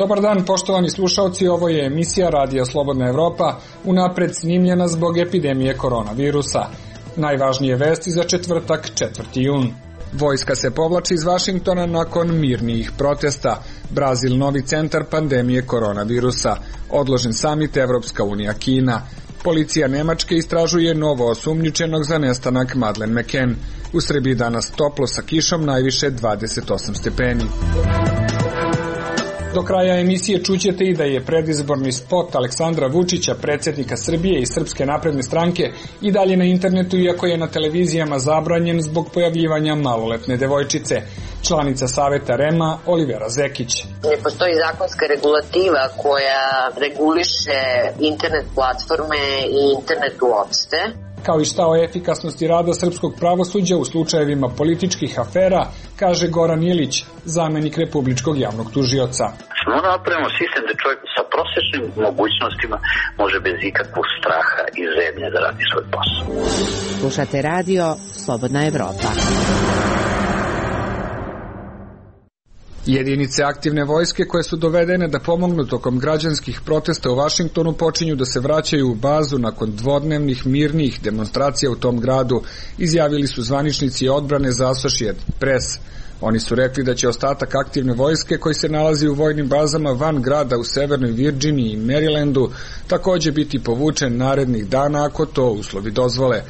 Dobar dan, poštovani slušalci, ovo je emisija Radija Slobodna Evropa, unapred snimljena zbog epidemije koronavirusa. Najvažnije vesti za četvrtak, 4. jun. Vojska se povlači iz Vašingtona nakon mirnijih protesta. Brazil novi centar pandemije koronavirusa. Odložen samit Evropska unija Kina. Policija Nemačke istražuje novo osumnjičenog za nestanak Madeleine McCann. U Srbiji danas toplo sa kišom, najviše 28 stepeni. Do kraja emisije čućete i da je predizborni spot Aleksandra Vučića, predsjednika Srbije i Srpske napredne stranke, i dalje na internetu, iako je na televizijama zabranjen zbog pojavljivanja maloletne devojčice. Članica Saveta REM-a Olivera Zekić. Ne postoji zakonska regulativa koja reguliše internet platforme i internet uopšte. Kao i šta o efikasnosti rada srpskog pravosuđa u slučajevima političkih afera, kaže Goran Ilić, zamenik Republičkog javnog tužioca. Smo napravimo sistem da čovjek sa prosječnim mogućnostima može bez ikakvog straha i zebnje da radi svoj posao. Slušate radio Slobodna Evropa. Jedinice aktivne vojske koje su dovedene da pomognu tokom građanskih protesta u Vašingtonu počinju da se vraćaju u bazu nakon dvodnevnih mirnijih demonstracija u tom gradu, izjavili su zvaničnici odbrane za Associated Press. Oni su rekli da će ostatak aktivne vojske koji se nalazi u vojnim bazama van grada u Severnoj Virginiji i Marylandu takođe biti povučen narednih dana ako to uslovi dozvole.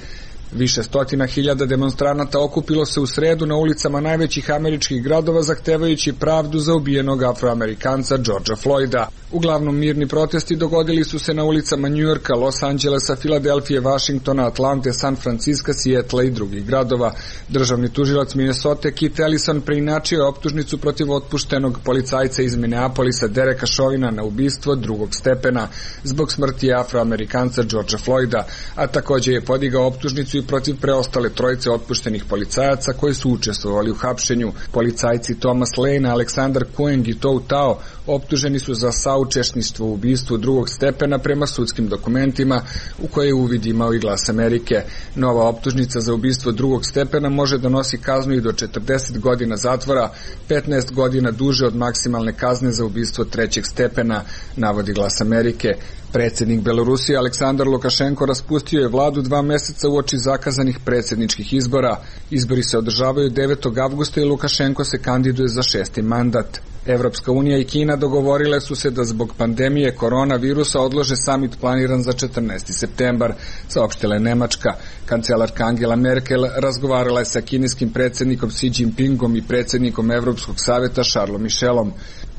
Više stotina hiljada demonstranata okupilo se u sredu na ulicama najvećih američkih gradova zahtevajući pravdu za ubijenog Afroamerikanca Georgea Floyda. Uglavnom mirni protesti dogodili su se na ulicama Njujorka, Los Angelesa, Filadelfije, Vašingtona, Atlante, San Francisca, Sijetla i drugih gradova. Državni tužilac Minnesota Keith Ellison preinačio je optužnicu protiv otpuštenog policajca iz Minneapolisa Dereka Chauvina na ubistvo drugog stepena zbog smrti Afroamerikanca Georgea Floyda, a takođe je podigao optužnicu i protiv preostale trojice otpuštenih policajaca koji su učestvovali u hapšenju. Policajci Thomas Lane, Aleksandar Kueng i Tou Tao optuženi su za saučesništvo u ubistvu drugog stepena prema sudskim dokumentima u koje je uvid imao i Glas Amerike. Nova optužnica za ubistvo drugog stepena može da nosi kaznu i do 40 godina zatvora, 15 godina duže od maksimalne kazne za ubistvo trećeg stepena, navodi Glas Amerike. Predsjednik Belorusije Aleksandar Lukašenko raspustio je vladu 2 meseca uoči zakazanih predsjedničkih izbora. Izbori se održavaju 9. avgusta i Lukašenko se kandiduje za 6. mandat. Evropska unija i Kina dogovorile su se da zbog pandemije koronavirusa odlože samit planiran za 14. septembar, saopštila je Nemačka. Kancelarka Angela Merkel razgovarala je sa kineskim predsjednikom Xi Jinpingom i predsjednikom Evropskog saveta Charlesom Michelom.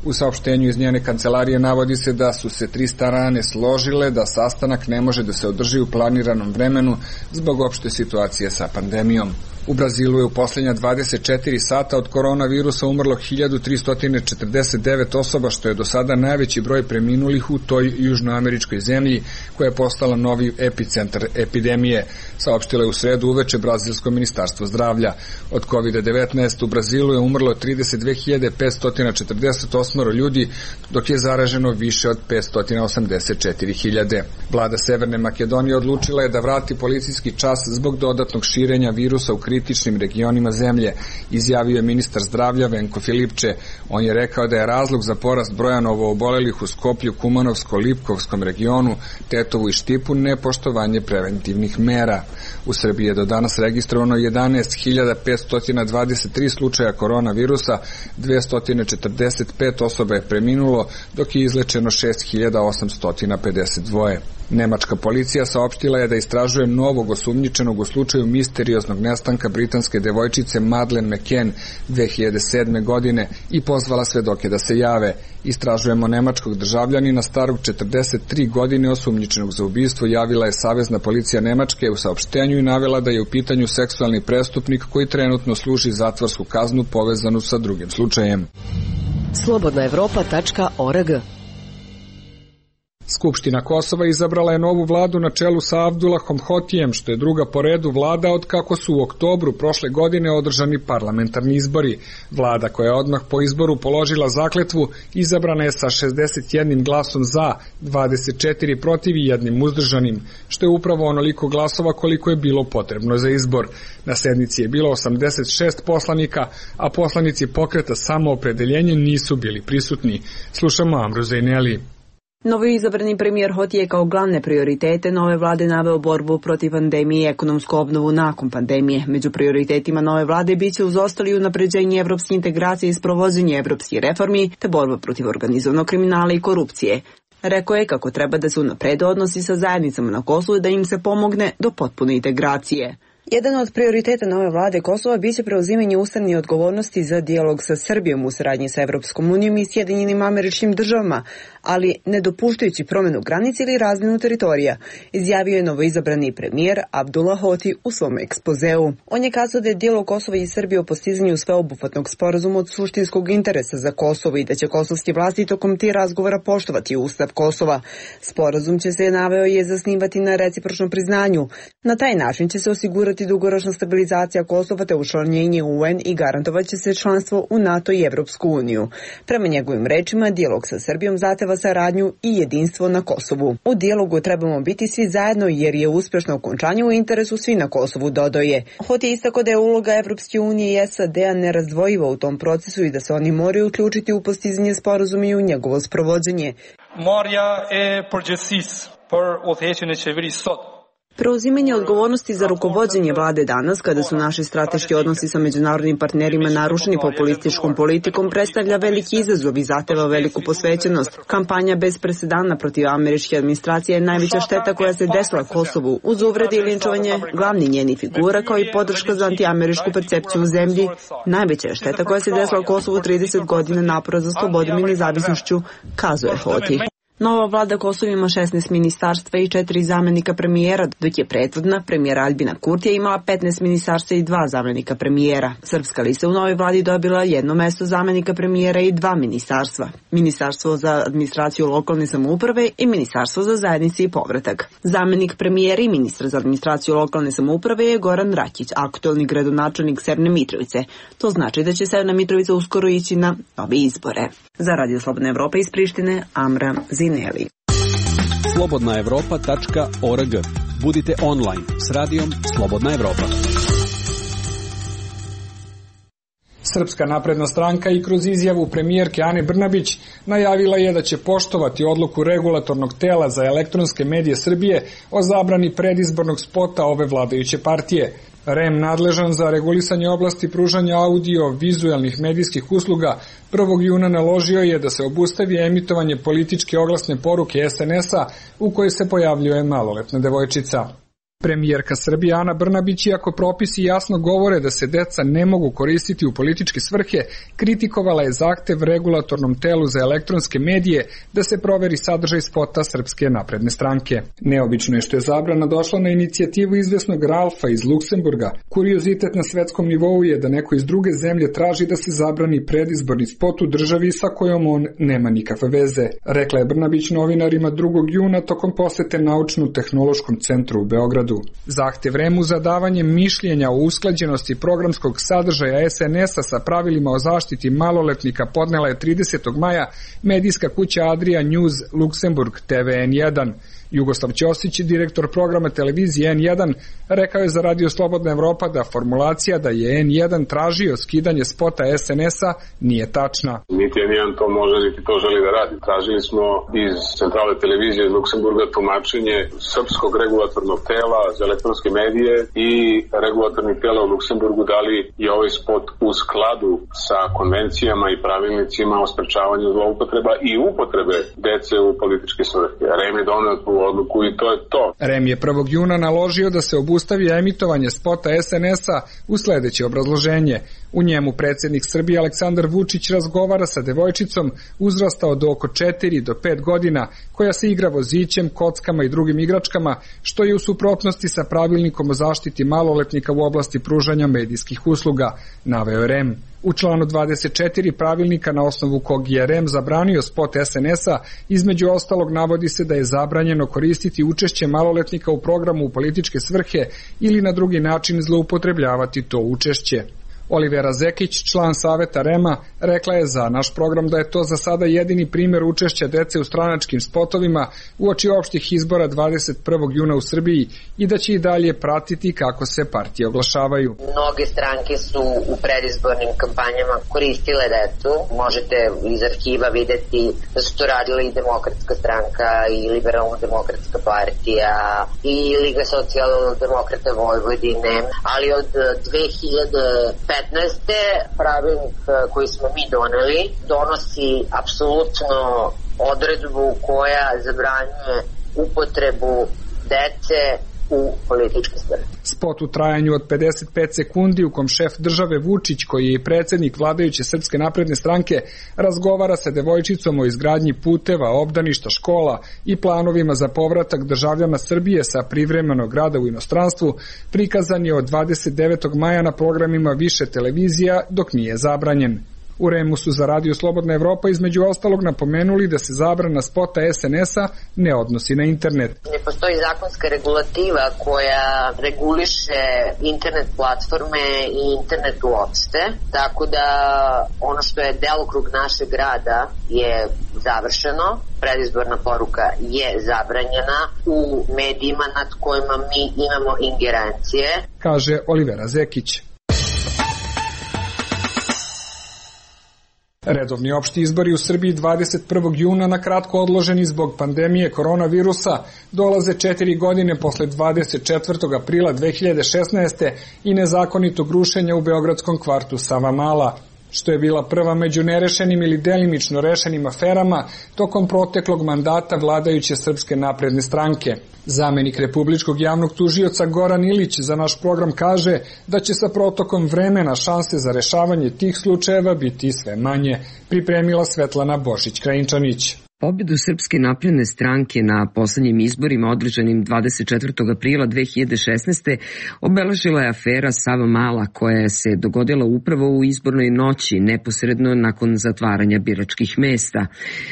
U saopštenju iz njene kancelarije navodi se da su se 3 strane složile da sastanak ne može da se održi u planiranom vremenu zbog opšte situacije sa pandemijom. U Brazilu je u posljednja 24 sata od koronavirusa umrlo 1349 osoba, što je do sada najveći broj preminulih u toj južnoameričkoj zemlji koja je postala novi epicentar epidemije, saopštilo je u sredu uveče Brazilsko ministarstvo zdravlja. Od COVID-19 u Brazilu je umrlo 32.548 ljudi, dok je zaraženo više od 584.000. Vlada Severne Makedonije odlučila je da vrati policijski čas zbog dodatnog širenja virusa u kritičnim regionima zemlje, izjavio je ministar zdravlja Venko Filipče. On je rekao da je razlog za porast broja novoobolelih u Skoplju, Kumanovsko-Lipkovskom regionu, Tetovu i Štipu nepoštovanje preventivnih mera. U Srbiji je do danas registrovano 11.523 slučaja koronavirusa, 245 osoba je preminulo, dok je izlečeno 6.852. Nemačka policija saopštila je da istražuje novog osumnjičenog u slučaju misterioznog nestanka britanske devojčice Madeleine McCann 2007. godine i pozvala svedoke da se jave. Istražujemo nemačkog državljanina starog 43 godine osumnjičenog za ubistvo, javila je Savezna policija Nemačke u saopštenju i navela da je u pitanju seksualni prestupnik koji trenutno služi zatvorsku kaznu povezanu sa drugim slučajem. Slobodnaevropa.org. Skupština Kosova izabrala je novu vladu na čelu sa Abdullahom Hotijem, što je druga po redu vlada od kako su u oktobru prošle godine održani parlamentarni izbori. Vlada koja je odmah po izboru položila zakletvu izabrana je sa 61 glasom za, 24 protiv i 1 uzdržanim, što je upravo onoliko glasova koliko je bilo potrebno za izbor. Na sednici je bilo 86 poslanika, a poslanici pokreta Samoopredeljenje nisu bili prisutni. Slušamo Amru Zejneli. Novoizabrani premijer Hoti je kao glavne prioritete nove vlade naveo borbu protiv pandemije i ekonomsku obnovu nakon pandemije. Među prioritetima nove vlade biće uz ostali unapređenje evropske integracije i sprovođenje evropskih reformi te borba protiv organizovanog kriminala i korupcije. Rekao je kako treba da se unaprede odnosi sa zajednicama na Kosovu da im se pomogne do potpune integracije. Jedan od prioriteta nove vlade Kosova biće preuzimanje ustavne odgovornosti za dijalog sa Srbijom u saradnji sa Evropskom unijom i Sjedinjenim Američkim Državama, ali ne dopuštajući promenu granice ili razmjenu teritorija, izjavio je novoizabrani premijer Abdullah Hoti u svom ekspozeu. On je kazao da je dijalog Kosova i Srbije o postizanju sveobuhvatnog sporazuma od suštinskog interesa za Kosovo i da će kosovski vlasti tokom tih razgovora poštovati Ustav Kosova. Sporazum će se, naveo, je zasnivati na recipročnom priznanju. Na taj način će se osigurati dugoročna stabilizacija Kosova te učlanjenje u UN i garantovat će se članstvo u NATO i Evropsku uniju. Prema njegovim rečima, dijalog sa Srbijom zahteva saradnju i jedinstvo na Kosovu. U dijalogu trebamo biti svi zajedno jer je uspješno okončanje u interesu svi na Kosovu, dodao je. Hoti je istakao da je uloga Evropske unije i SAD-a nerazdvojiva u tom procesu i da se oni moraju uključiti u postizanje sporazuma i u njegovo sprovođenje. Preuzimanje odgovornosti za rukovođenje vlade danas, kada su naši strateški odnosi sa međunarodnim partnerima narušeni populističkom politikom, predstavlja veliki izazov i zahteva veliku posvećenost. Kampanja bez presedana protiv američke administracije je najveća šteta koja se desila Kosovu, uz uvrede i linčovanje glavni njeni figura, kao i podrška za antiameričku percepciju u zemlji. Najveća je šteta koja se desila Kosovu 30 godina napora za slobodom i nezavisnošću, kazuje Hoti. Nova vlada Kosova ima 16 ministarstva i 4 zamenika premijera, dok je prethodna premijera Albina Kurtija imala 15 ministarstva i 2 zamenika premijera. Srpska lista u novoj vladi dobila 1 mesto zamenika premijera i 2 ministarstva. Ministarstvo za administraciju lokalne samouprave i Ministarstvo za zajednice i povratak. Zamenik premijera i ministar za administraciju lokalne samouprave je Goran Rakić, aktuelni gradonačelnik Severne Mitrovice. To znači da će Severna Mitrovica uskoro ići na nove izbore. Za Radio Slobodna Evropa iz Prištine, Amra Zineli. slobodnaevropa.org. Budite online s radijom Slobodna Evropa. Srpska napredna stranka i kroz izjavu premijerke Ane Brnabić najavila je da će poštovati odluku regulatornog tela za elektronske medije Srbije o zabrani predizbornog spota ove vladajuće partije. REM, nadležan za regulisanje oblasti pružanja audio-vizuelnih medijskih usluga, 1. juna naložio je da se obustavi emitovanje političke oglasne poruke SNS-a u kojoj se pojavljuje maloletna devojčica. Premijerka Srbije Ana Brnabić, iako propisi jasno govore da se deca ne mogu koristiti u političke svrhe, kritikovala je zahtev regulatornom telu za elektronske medije da se proveri sadržaj spota Srpske napredne stranke. Neobično je što je zabrana došla na inicijativu izvesnog Ralfa iz Luksemburga. Kuriozitet na svetskom nivou je da neko iz druge zemlje traži da se zabrani predizborni spot u državi sa kojom on nema nikakve veze, rekla je Brnabić novinarima 2. juna tokom posete Naučno-tehnološkom centru u Beogradu. Zahtev REM-u za davanje mišljenja o usklađenosti programskog sadržaja SNS-a sa pravilima o zaštiti maloletnika podnela je 30. maja medijska kuća Adria News Luksemburg TV N1. Jugoslav Ćosić, direktor programa televizije N1, rekao je za Radio Slobodna Evropa da formulacija da je N1 tražio skidanje spota SNS-a nije tačna. Niti N1 to može, niti to želi da radi. Tražili smo iz centrale televizije iz Luksemburga tumačenje Srpskog regulatornog tela za elektronske medije i regulatornih tela u Luksemburgu da li je ovaj spot u skladu sa konvencijama i pravilnicima o sprečavanju zloupotreba i upotrebe dece u političke svrhe. REM je doneo tu odluku i to je to. REM je 1. juna naložio da se obustavi emitovanje spota SNS-a u sledeće obrazloženje. U njemu predsjednik Srbije Aleksandar Vučić razgovara sa devojčicom uzrasta od oko 4 do 5 godina koja se igra vozićem, kockama i drugim igračkama, što je u suprotnosti sa pravilnikom o zaštiti maloletnika u oblasti pružanja medijskih usluga, naveo REM. U članu 24 pravilnika na osnovu kog je REM zabranio spot SNS-a, između ostalog navodi se da je zabranjeno koristiti učešće maloletnika u programu u političke svrhe ili na drugi način zloupotrebljavati to učešće. Olivera Zekić, član saveta REM-a, rekla je za naš program da je to za sada jedini primjer učešća dece u stranačkim spotovima uoči opštih izbora 21. juna u Srbiji i da će i dalje pratiti kako se partije oglašavaju. Mnoge stranke su u predizbornim kampanjama koristile decu. Možete iz arhiva videti da su to radile i Demokratska stranka i Liberalno-demokratska partija i Liga socijaldemokrata Vojvodine, ali od 2015. pravilnik koji smo mi doneli donosi apsolutno odredbu koja zabranjuje upotrebu dece u političke svrhe. Spot u trajanju od 55 sekundi u kom šef države Vučić, koji je i predsjednik vladajuće Srpske napredne stranke, razgovara sa devojčicom o izgradnji puteva, obdaništa, škola i planovima za povratak državljana Srbije sa privremenog rada u inostranstvu, prikazan je od 29. maja na programima više televizija dok nije zabranjen. U REM-u su za Radio Slobodna Evropa između ostalog napomenuli da se zabrana spota SNS-a ne odnosi na internet. Ne postoji zakonska regulativa koja reguliše internet platforme i internet uopšte, tako da ono što je delokrug našeg rada je završeno, predizborna poruka je zabranjena u medijima nad kojima mi imamo ingerencije, kaže Olivera Zekić. Redovni opšti izbori u Srbiji 21. juna na kratko odloženi zbog pandemije koronavirusa dolaze 4 godine posle 24. aprila 2016. i nezakonitog rušenja u beogradskom kvartu Savamala, što je bila prva među nerešenim ili delimično rešenim aferama tokom proteklog mandata vladajuće Srpske napredne stranke. Zamenik republičkog javnog tužioca Goran Ilić za naš program kaže da će sa protokom vremena šanse za rešavanje tih slučajeva biti sve manje, pripremila Svetlana Bošić-Krajinčanić. Pobedu Srpske napredne stranke na poslednjim izborima održanim 24. aprila 2016. obeležila je afera Savamala koja se dogodila upravo u izbornoj noći neposredno nakon zatvaranja biračkih mesta.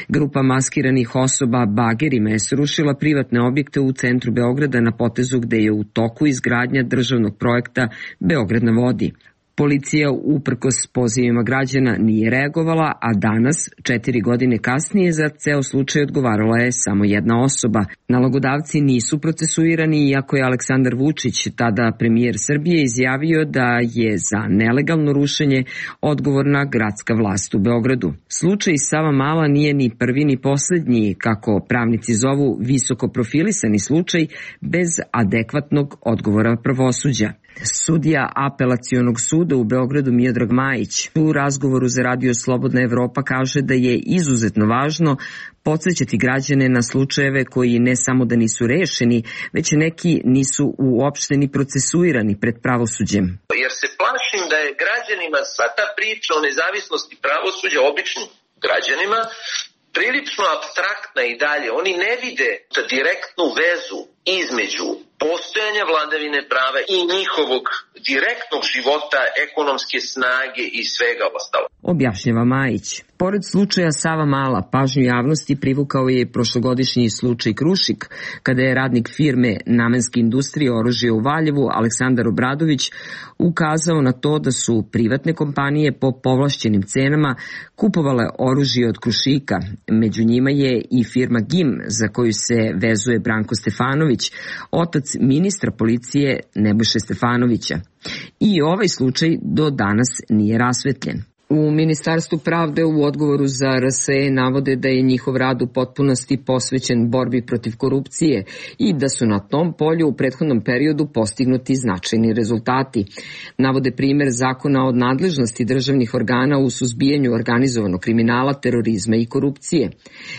Grupa maskiranih osoba bagerima je srušila privatne objekte u centru Beograda na potezu gde je u toku izgradnja državnog projekta Beograd na vodi. Policija uprkos pozivima građana nije reagovala, a danas, 4 godine kasnije, za ceo slučaj odgovarala je samo jedna osoba. Nalogodavci nisu procesuirani, iako je Aleksandar Vučić, tada premijer Srbije, izjavio da je za nelegalno rušenje odgovorna gradska vlast u Beogradu. Slučaj Savamala nije ni prvi ni poslednji, kako pravnici zovu visoko profilisani slučaj bez adekvatnog odgovora pravosuđa. Sudija Apelacionog suda u Beogradu Miodrag Majić u razgovoru za Radio Slobodna Evropa kaže da je izuzetno važno podsjećati građane na slučajeve koji ne samo da nisu rešeni, već neki nisu uopšte ni procesuirani pred pravosuđem. Jer se plašim da je građanima sva ta priča o nezavisnosti pravosuđa, običnim građanima, prilično apstraktna i dalje. Oni ne vide direktnu vezu između postojanja vladavine prava i njihovog direktnog života, ekonomske snage i svega ostalo. Objašnjava Majić. Pored slučaja Savamala, pažnju javnosti privukao je prošlogodišnji slučaj Krušik, kada je radnik firme Namenske industrije oružja u Valjevu, Aleksandar Obradović, ukazao na to da su privatne kompanije po povlašćenim cenama kupovale oružje od Krušika. Među njima je i firma GIM, za koju se vezuje Branko Stefanović, otac ministra policije Nebojše Stefanovića. I ovaj slučaj do danas nije rasvetljen. U Ministarstvu pravde u odgovoru za RSE navode da je njihov rad u potpunosti posvećen borbi protiv korupcije i da su na tom polju u prethodnom periodu postignuti značajni rezultati. Navode primer zakona o nadležnosti državnih organa u suzbijanju organizovanog kriminala, terorizma i korupcije.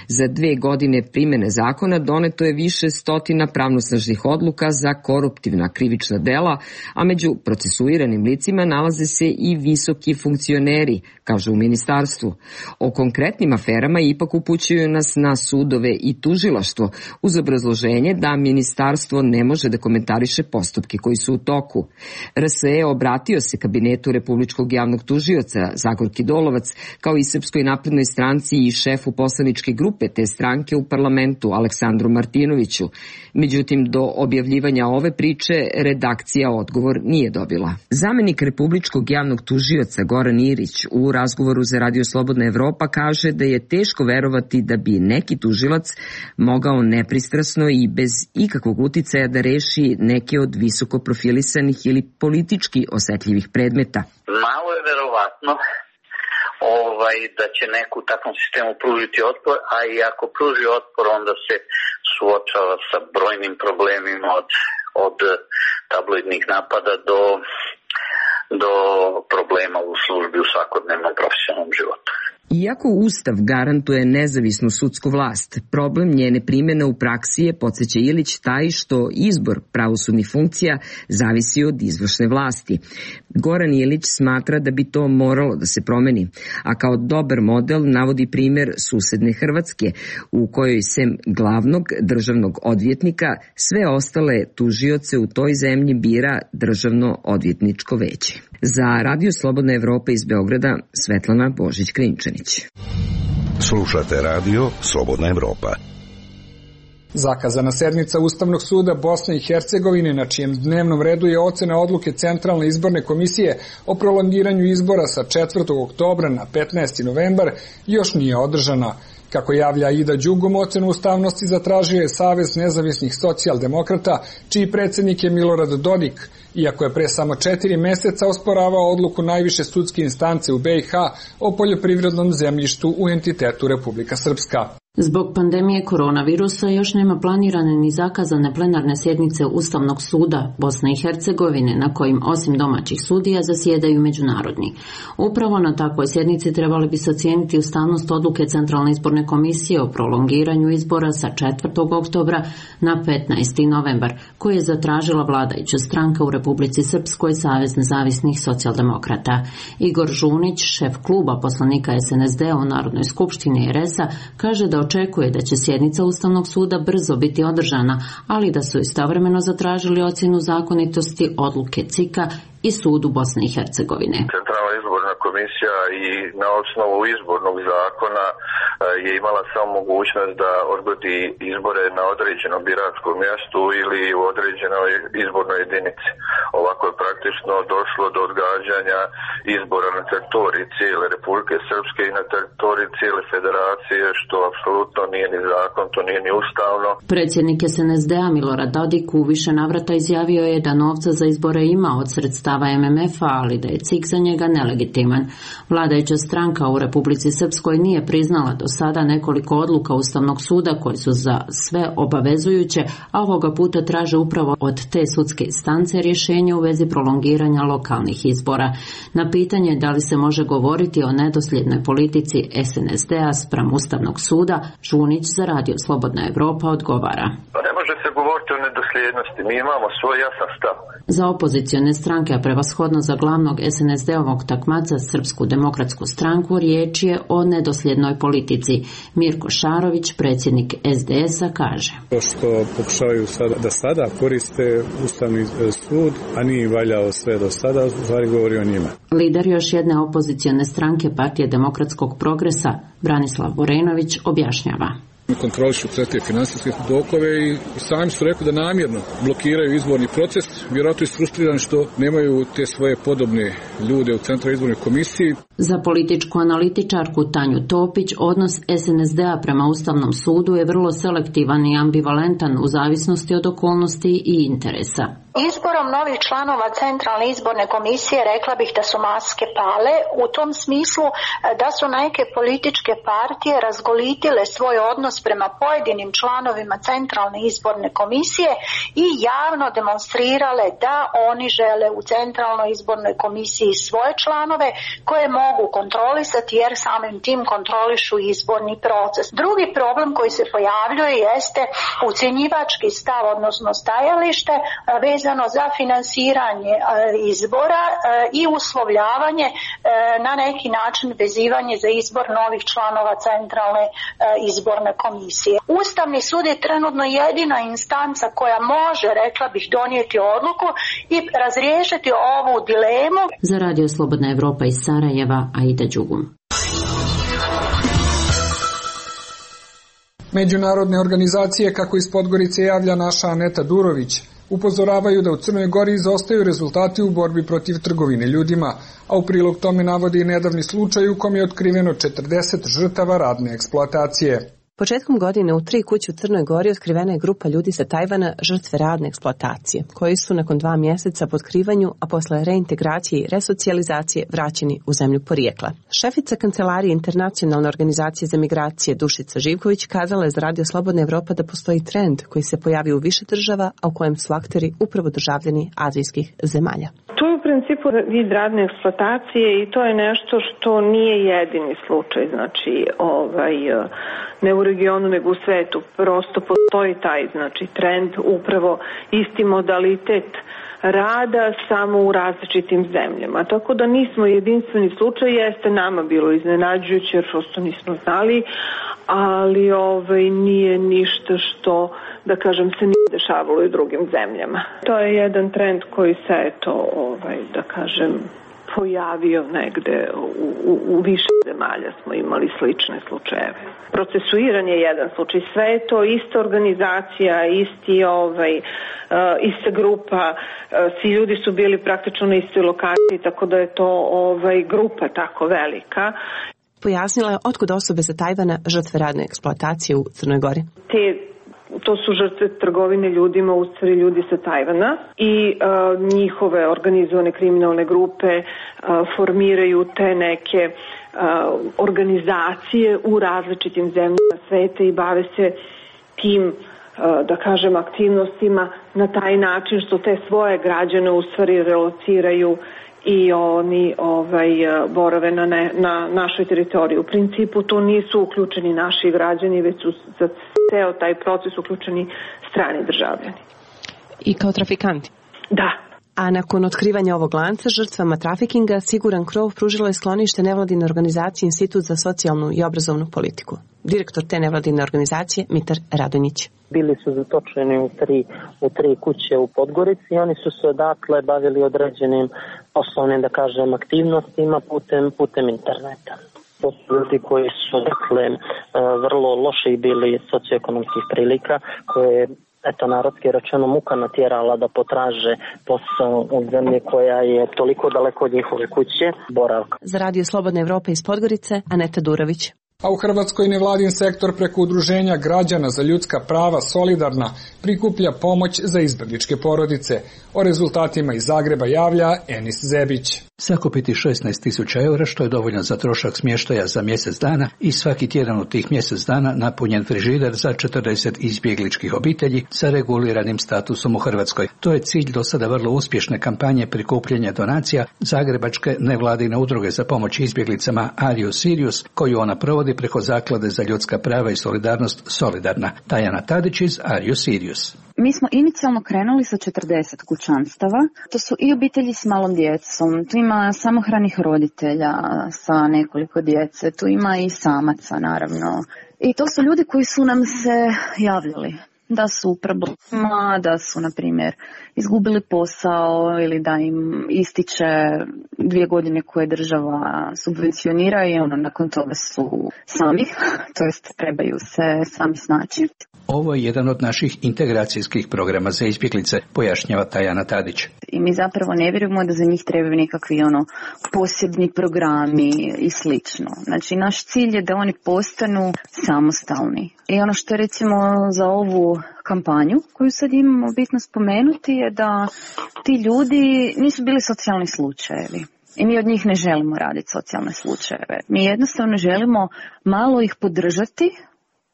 Za 2 godine primene zakona doneto je više stotina pravnosnažnih odluka za koruptivna krivična dela, a među procesuiranim licima nalaze se i visoki funkcioneri aferi, kaže u ministarstvu. O konkretnim aferama ipak upućuju nas na sudove i tužilaštvo uz obrazloženje da ministarstvo ne može da komentariše postupke koji su u toku. RSE obratio se kabinetu Republičkog javnog tužioca Zagorki Dolovac, kao i Srpskoj naprednoj stranci i šefu poslaničke grupe te stranke u parlamentu Aleksandru Martinoviću. Međutim, do objavljivanja ove priče redakcija odgovor nije dobila. Zamenik Republičkog javnog tužioca Goran Irić u razgovoru za Radio Slobodna Evropa kaže da je teško verovati da bi neki tužilac mogao nepristrasno i bez ikakvog uticaja da reši neke od visoko profilisanih ili politički osetljivih predmeta. Malo je verovatno da će neko u takvom sistemu pružiti otpor, a i ako pruži otpor, onda se suočava sa brojnim problemima od tabloidnih napada do problema u službi u svakodnevnom profesionalnom životu. Iako Ustav garantuje nezavisnu sudsku vlast, problem njene primjene u praksi je, podsjeća Ilić, taj što izbor pravosudnih funkcija zavisi od izvršne vlasti. Goran Ilić smatra da bi to moralo da se promeni, a kao dobar model navodi primjer susedne Hrvatske, u kojoj sem glavnog državnog odvjetnika sve ostale tužioce u toj zemlji bira Državno odvjetničko veće. Za Radio Slobodna Evropa iz Beograda, Svetlana Božić-Krinčanić. Slušate Radio Slobodna Evropa. Zakazana sednica Ustavnog suda Bosne i Hercegovine, na čijem dnevnom redu je ocena odluke Centralne izborne komisije o prolongiranju izbora sa 4. oktobra na 15. novembar, još nije održana. Kako javlja Ida Đugom, ocenu ustavnosti zatražio je Savez nezavisnih socijaldemokrata, čiji predsjednik je Milorad Dodik, iako je pre samo 4 meseca osporavao odluku najviše sudske instance u BiH o poljoprivrednom zemljištu u entitetu Republika Srpska. Zbog pandemije koronavirusa još nema planirane ni zakazane plenarne sjednice Ustavnog suda Bosne i Hercegovine, na kojim osim domaćih sudija zasjedaju međunarodni. Upravo na takvoj sjednici trebali bi se ocijeniti ustavnost odluke Centralne izborne komisije o prolongiranju izbora sa 4. oktobra na 15. novembar, koju je zatražila vladajuća stranka u Republici Srpskoj, Savez nezavisnih socijaldemokrata. Igor Žunić, šef kluba poslanika SNSD u Narodnoj skupštini RS-a, kaže da očekuje da će sjednica Ustavnog suda brzo biti održana, ali da su istovremeno zatražili ocjenu zakonitosti odluke CIK-a i sudu Bosne i Hercegovine. Centralna izborna komisija i na osnovu izbornog zakona je imala samo mogućnost da odgodi izbore na određenom biračkom mjestu ili u određenoj izbornoj jedinici. Ovako je praktično došlo do odgađanja izbora na teritoriji cijele Republike Srpske i na teritoriji cijele federacije, što apsolutno nije ni zakon, to nije ni ustavno. Predsjednik SNSD-a Milorad Dodik u više navrata izjavio je da novca za izbore ima od sredstava MMF-a, ali da je CIK za njega nelegitiman. Vladajuća stranka u Republici Srpskoj nije priznala do sada nekoliko odluka Ustavnog suda koje su za sve obavezujuće, a ovoga puta traže upravo od te sudske instance rješenje u vezi prolongiranja lokalnih izbora. Na pitanje da li se može govoriti o nedosljednoj politici SNSD-a spram Ustavnog suda, Žunić za Radio Slobodna Evropa odgovara. Ne može se govoriti o nedosljednosti, mi imamo svoj jasan stav. Za opozicione stranke, a prevashodno za glavnog SNSD-ovog takmaca Srpsku demokratsku stranku, riječ je o nedosljednoj politici. Mirko Šarović, predsjednik SDS-a, kaže: To što pokušavaju da sada koriste Ustavni sud, a nije im valjao sve do sada, u stvari govori o njima. Lider još jedne opozicione stranke Partije demokratskog progresa, Branislav Vorenović, objašnjava: Kontrolišu sve te finansijske tokove i sami su rekli da namjerno blokiraju izborni proces. Vjerojatno je frustriran što nemaju te svoje podobne ljude u Centralnoj izbornoj komisiji. Za političku analitičarku Tanju Topić, odnos SNSD-a prema Ustavnom sudu je vrlo selektivan i ambivalentan u zavisnosti od okolnosti i interesa. Izborom novih članova Centralne izborne komisije rekla bih da su maske pale, u tom smislu da su neke političke partije razgolitile svoj odnos prema pojedinim članovima Centralne izborne komisije i javno demonstrirale da oni žele u Centralnoj izbornoj komisiji svoje članove koje mogu kontrolisati jer samim tim kontrolišu izborni proces. Drugi problem koji se pojavljuje jeste ucjenjivački stav, odnosno stajalište vezano za finansiranje izbora i uslovljavanje, na neki način vezivanje za izbor novih članova Centralne izborne komisije. Ustavni sud je trenutno jedina instanca koja može, rekla bih, donijeti odluku i razriješiti ovu dilemu. Za Radio Slobodna Evropa iz Sarajeva, Aida Đugum. Međunarodne organizacije, kako iz Podgorice javlja naša Aneta Durović, upozoravaju da u Crnoj Gori izostaju rezultati u borbi protiv trgovine ljudima, a u prilog tome navodi i nedavni slučaj u kom je otkriveno 40 žrtava radne eksploatacije. Početkom godine u 3 kuće u Crnoj Gori otkrivena je grupa ljudi sa Tajvana žrtve radne eksploatacije, koji su nakon 2 mjeseca po otkrivanju, a posle reintegracije i resocijalizacije vraćeni u zemlju porijekla. Šefica Kancelarije Internacionalne organizacije za migracije Dušica Živković kazala je za Radio Slobodna Evropa da postoji trend koji se pojavi u više država, a u kojem su akteri upravo državljani azijskih zemalja. To je u principu vid radne eksploatacije i to je nešto što nije jedini slučaj, znači ne u regionu nego u svetu. Prosto postoji taj trend, upravo isti modalitet rada samo u različitim zemljama. Tako da nismo jedinstveni slučaj, jeste nama bilo iznenađujuće jer prosto nismo znali, ali nije ništa što, da kažem, se nije dešavalo i u drugim zemljama. To je jedan trend koji se da kažem, pojavio negde u više zemalja smo imali slične slučajeve. Procesuiran je jedan slučaj, sve je to ista organizacija, ista grupa, svi ljudi su bili praktično na istoj lokaciji, tako da je to grupa tako velika. Pojasnila je otkud osobe sa Tajvana žrtve radne eksploatacije u Crnoj Gori. To su žrtve trgovine ljudima, u stvari ljudi sa Tajvana i njihove organizovane kriminalne grupe formiraju te neke organizacije u različitim zemljama sveta i bave se tim, da kažem, aktivnostima na taj način što te svoje građane u stvari relociraju i oni borave na našoj teritoriji. U principu to nisu uključeni naši građani, već su za ceo taj proces uključeni strani državljani. I kao trafikanti? Da. A nakon otkrivanja ovog lanca žrtvama trafikinga, Siguran krov pružilo je sklonište nevladine organizacije Institut za socijalnu i obrazovnu politiku. Direktor te nevladine organizacije, Mitar Radonjić. Bili su zatočeni u tri kuće u Podgorici i oni su se odatle bavili određenim osnovnim, da kažem, aktivnostima putem interneta. To su ljudi koji su, vrlo loši bili socioekonomskih prilika, koje narodski rečeno muka natjerala da potraže posao u zemlji koja je toliko daleko od njihove kuće, boravka. Za Radio Slobodna Evropa iz Podgorice, Aneta Durović. A u Hrvatskoj nevladin sektor preko udruženja građana za ljudska prava Solidarna prikuplja pomoć za izbegličke porodice. O rezultatima iz Zagreba javlja Enis Zebić. Sakupiti 16.000 eura, što je dovoljno za trošak smještaja za mjesec dana i svaki tjedan od tih mjesec dana napunjen frižider za 40 izbjegličkih obitelji sa reguliranim statusom u Hrvatskoj. To je cilj do sada vrlo uspješne kampanje prikupljanja donacija Zagrebačke nevladine udruge za pomoć izbjeglicama Are You Serious, koju ona provodi preko Zaklade za ljudska prava i solidarnost Solidarna. Tajana Tadić iz Are You Serious. Mi smo inicijalno krenuli sa 40 kućanstava. To su i obitelji s malom djecom, tu ima samohranih roditelja sa nekoliko djece, tu ima i samaca naravno. I to su ljudi koji su nam se javljali da su u problemima, da su, na primjer, izgubili posao ili da im ističe 2 godine koje država subvencionira i nakon toga su sami, to jest trebaju se sami snaći. Ovo je jedan od naših integracijskih programa za izbjeglice, pojašnjava Tajana Tadić. I mi zapravo ne vjerujemo da za njih trebaju nekakvi posebni programi i slično. Znači, naš cilj je da oni postanu samostalni. I ono što je recimo za ovu kampanju koju sad imamo bitno spomenuti je da ti ljudi nisu bili socijalni slučajevi. I mi od njih ne želimo raditi socijalne slučajeve. Mi jednostavno želimo malo ih podržati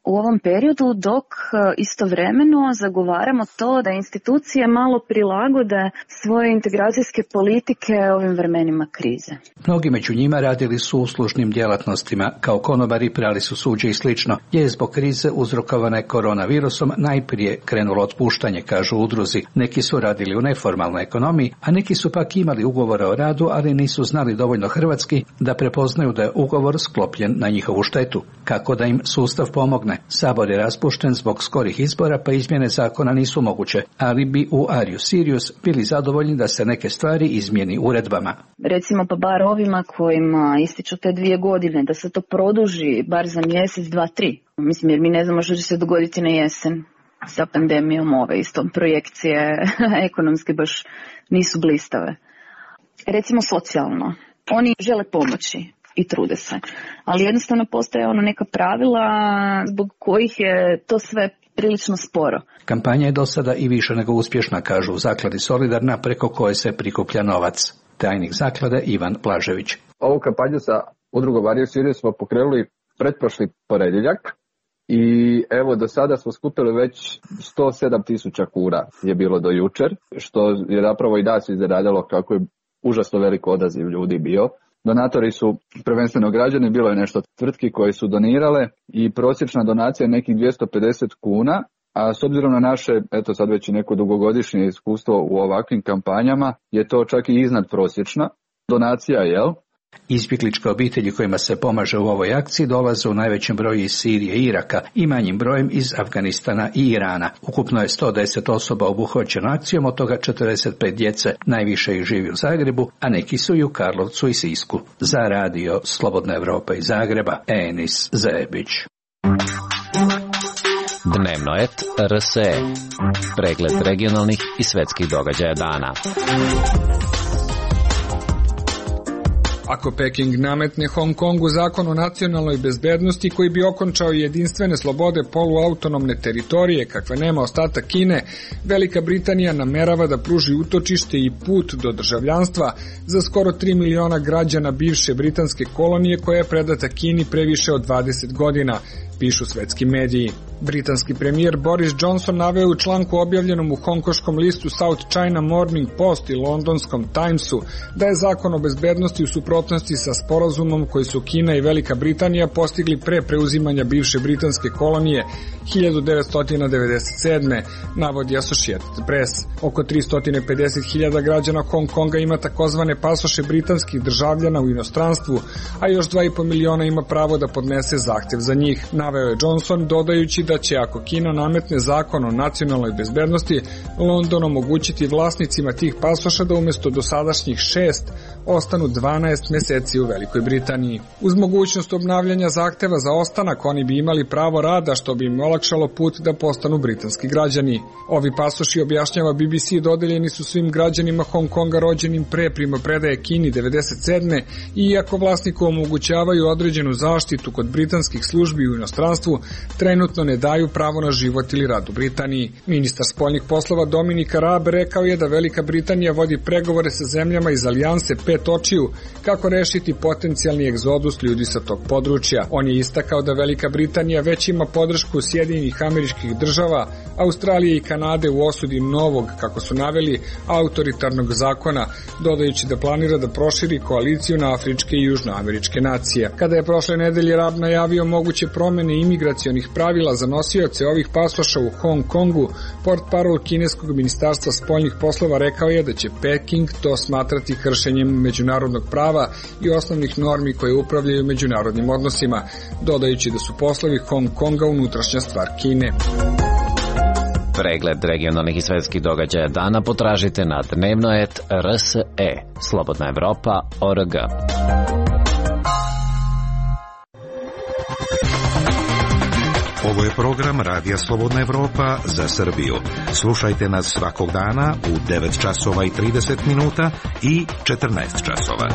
u ovom periodu, dok istovremeno zagovaramo to da institucije malo prilagode svoje integracijske politike ovim vremenima krize. Mnogi među njima radili su u uslužnim djelatnostima, kao konobari, prali su suđe i slično, jer je zbog krize uzrokovane koronavirusom najprije krenulo otpuštanje, kažu udruzi. Neki su radili u neformalnoj ekonomiji, a neki su pak imali ugovore o radu, ali nisu znali dovoljno hrvatski da prepoznaju da je ugovor sklopljen na njihovu štetu. Kako da im sustav pomogne? Sabor je raspušten zbog skorih izbora, pa izmjene zakona nisu moguće, ali bi u Arius Sirius bili zadovoljni da se neke stvari izmijeni uredbama. Recimo pa bar ovima kojima ističu te 2 godine, da se to produži bar za mjesec, 2, 3. Mislim, jer mi ne znamo što će se dogoditi na jesen sa pandemijom ove. Isto projekcije ekonomske baš nisu blistave. Recimo socijalno. Oni žele pomoći i trude se. Ali jednostavno postoje neka pravila zbog kojih je to sve prilično sporo. Kampanja je do sada i više nego uspješna, kažu u zakladi Solidarna, preko koje se prikuplja novac. Tajnik zaklade Ivan Blažević. Ovu kampanju sa udrugom Arius Sirius smo pokrenuli pretprošli ponedjeljak i evo do sada smo skupili već 107.000 kuna je bilo do jučer, što je zapravo i nas iznenadilo kako je užasno velik odaziv ljudi bio. Donatori su prvenstveno građani, bilo je nešto tvrtki koje su donirale i prosječna donacija je nekih 250 kuna, a s obzirom na naše, eto sad već i neko dugogodišnje iskustvo u ovakvim kampanjama, je to čak i iznad prosječna donacija, jel? Izbjegličke obitelji kojima se pomaže u ovoj akciji dolaze u najvećem broju iz Sirije i Iraka i manjim brojem iz Afganistana i Irana. Ukupno je 110 osoba obuhvaćeno akcijom, od toga 45 djece, najviše ih živi u Zagrebu, a neki su i u Karlovcu i Sisku. Za radio Slobodna Evropa iz Zagreba, Enis Zebić. Dnevno et RSE. Pregled regionalnih i svetskih događaja dana. Ako Peking nametne Hong Kongu zakon o nacionalnoj bezbednosti koji bi okončao jedinstvene slobode poluautonomne teritorije kakve nema ostatak Kine, Velika Britanija namerava da pruži utočište i put do državljanstva za skoro 3 miliona građana bivše britanske kolonije koja je predata Kini pre više od 20 godina, pišu svetski mediji. Britanski premijer Boris Johnson naveo u članku objavljenom u hongkoškom listu South China Morning Post i londonskom Timesu da je zakon o bezbednosti u suprotnosti sa sporazumom koji su Kina i Velika Britanija postigli pre preuzimanja bivše britanske kolonije 1997. navodi Associated Press. Oko 350.000 građana Hong Konga ima takozvane pasoše britanskih državljana u inostranstvu, a još 2,5 miliona ima pravo da podnese zahtev za njih, naveo je Johnson, dodajući da će ako Kina nametne zakon o nacionalnoj bezbednosti, London omogućiti vlasnicima tih pasoša da umjesto dosadašnjih 6 ostanu 12 meseci u Velikoj Britaniji. Uz mogućnost obnavljanja zahteva za ostanak, oni bi imali pravo rada, što bi im olakšalo put da postanu britanski građani. Ovi pasoši, objašnjava BBC, dodeljeni su svim građanima Hong Konga rođenim pre primopredaje Kini 1997. i iako vlasniku omogućavaju određenu zaštitu kod britanskih službi u inostranstvu, trenutno ne daju pravo na život ili rad u Britaniji. Ministar spoljnih poslova Dominik Raab rekao je da Velika Britanija vodi pregovore sa zemljama iz alijanse Pet očiju kako rešiti potencijalni egzodus ljudi sa tog područja. On je istakao da Velika Britanija već ima podršku Sjedinjenih Američkih Država, Australije i Kanade u osudi novog, kako su naveli, autoritarnog zakona, dodajući da planira da proširi koaliciju na afričke i južnoameričke nacije. Kada je prošle nedelje Raab najavio moguće promene imigracionih pravila za nosioce ovih pasoša u Hong Kongu, portparol kineskog ministarstva spoljnih poslova rekao je da će Peking to smatrati kršenjem međunarodnog prava i osnovnih normi koje upravljaju međunarodnim odnosima, dodajući da su poslovi Hong Konga unutrašnja stvar Kine. Pregled regionalnih i svetskih događaja dana potražite na dnevnoet RSE. Slobodna Evropa.org. Ovo je program Radija Slobodna Evropa za Srbiju. Slušajte nas svakog dana u 9 časova i 30 minuta i 14 časova.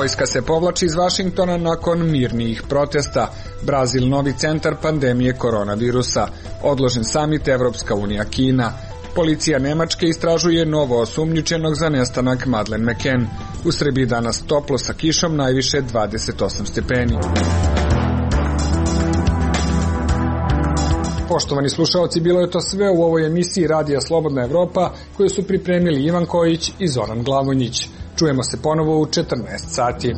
Vojska se povlači iz Vašingtona nakon mirnijih protesta. Brazil novi centar pandemije koronavirusa. Odložen samit Evropska unija Kina. Policija Nemačke istražuje novo osumnjičenog za nestanak Madeleine McCann. U Srbiji danas toplo sa kišom, najviše 28 stepeni. Poštovani slušaoci, bilo je to sve u ovoj emisiji Radija Slobodna Evropa koju su pripremili Ivan Kojić i Zoran Glavonjić. Čujemo se ponovo u 14 sati.